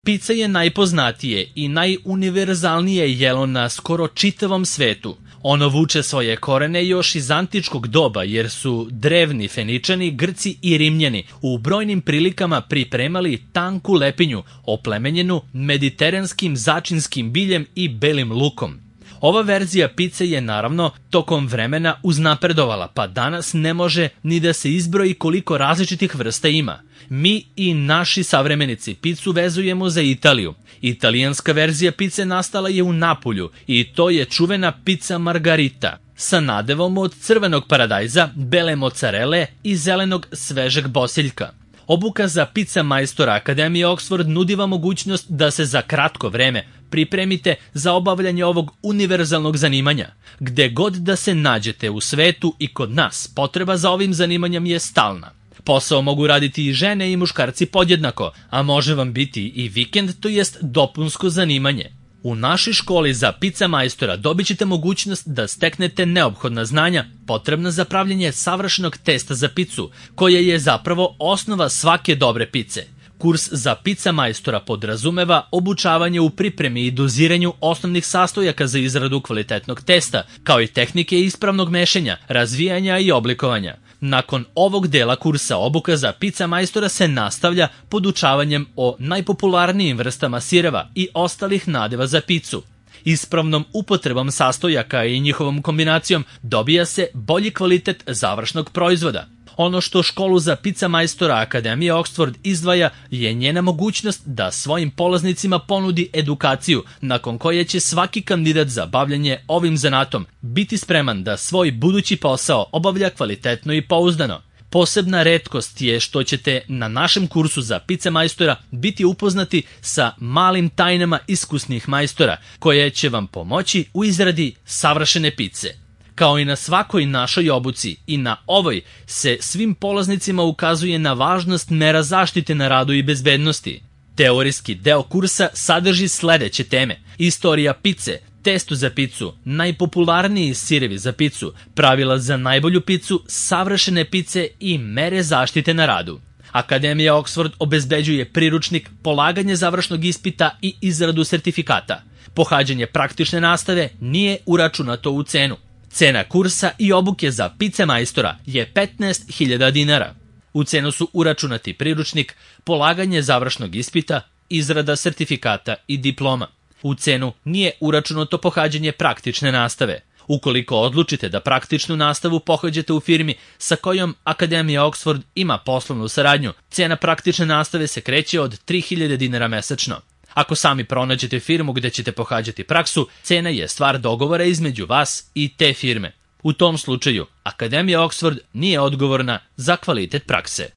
Pica je najpoznatije i najuniverzalnije jelo na skoro čitavom svetu. Ono vuče svoje korene još iz antičkog doba, jer su drevni Feničani, Grci i Rimljani u brojnim prilikama pripremali tanku lepinju, oplemenjenu mediteranskim začinskim biljem i belim lukom. Ova verzija pice je naravno tokom vremena uznapredovala, pa danas ne može ni da se izbroji koliko različitih vrsta ima. Mi i naši savremenici picu vezujemo za Italiju. Italijanska verzija pice nastala je u Napulju i to je čuvena pica margarita sa nadevom od crvenog paradajza, bele mocarele i zelenog svežeg bosiljka. Obuka za pica majstora Akademije Oxford nudi vam mogućnost da se za kratko vreme pripremite za obavljanje ovog univerzalnog zanimanja. Gde god da se nađete u svetu i kod nas, potreba za ovim zanimanjem je stalna. Posao mogu raditi i žene i muškarci podjednako, a može vam biti i vikend, to jest dopunsko zanimanje. U našoj školi za pica majstora dobit ćete mogućnost da steknete neophodna znanja potrebna za pravljenje savršenog testa za picu, koja je zapravo osnova svake dobre pice. Kurs za pica majstora podrazumeva obučavanje u pripremi i doziranju osnovnih sastojaka za izradu kvalitetnog testa, kao i tehnike ispravnog mešanja, razvijanja i oblikovanja. Nakon ovog dela kursa obuka za pica majstora se nastavlja podučavanjem o najpopularnijim vrstama sireva i ostalih nadeva za picu. Ispravnom upotrebom sastojaka i njihovom kombinacijom dobija se bolji kvalitet završnog proizvoda. Ono što školu za pica majstora Akademije Oxford izdvaja je njena mogućnost da svojim polaznicima ponudi edukaciju, nakon koje će svaki kandidat za bavljanje ovim zanatom biti spreman da svoj budući posao obavlja kvalitetno i pouzdano. Posebna retkost je što ćete na našem kursu za pica majstora biti upoznati sa malim tajnama iskusnih majstora, koje će vam pomoći u izradi savršene pice. Kao i na svakoj našoj obuci, i na ovoj se svim polaznicima ukazuje na važnost mera zaštite na radu i bezbednosti. Teorijski deo kursa sadrži sledeće teme: istorija pice, testo za picu, najpopularniji sirevi za picu, pravila za najbolju picu, savršene pice i mere zaštite na radu. Akademija Oxford obezbeđuje priručnik, polaganje završnog ispita i izradu sertifikata. Pohađanje praktične nastave nije uračunato u cenu. Cena kursa i obuke za pice majstora je 15.000 dinara. U cenu su uračunati priručnik, polaganje završnog ispita, izrada sertifikata i diploma. U cenu nije uračunato pohađanje praktične nastave. Ukoliko odlučite da praktičnu nastavu pohađate u firmi sa kojom Akademija Oxford ima poslovnu saradnju, cena praktične nastave se kreće od 3.000 dinara mesečno. Ako sami pronađete firmu gde ćete pohađati praksu, cena je stvar dogovora između vas i te firme. U tom slučaju, Akademija Oxford nije odgovorna za kvalitet prakse.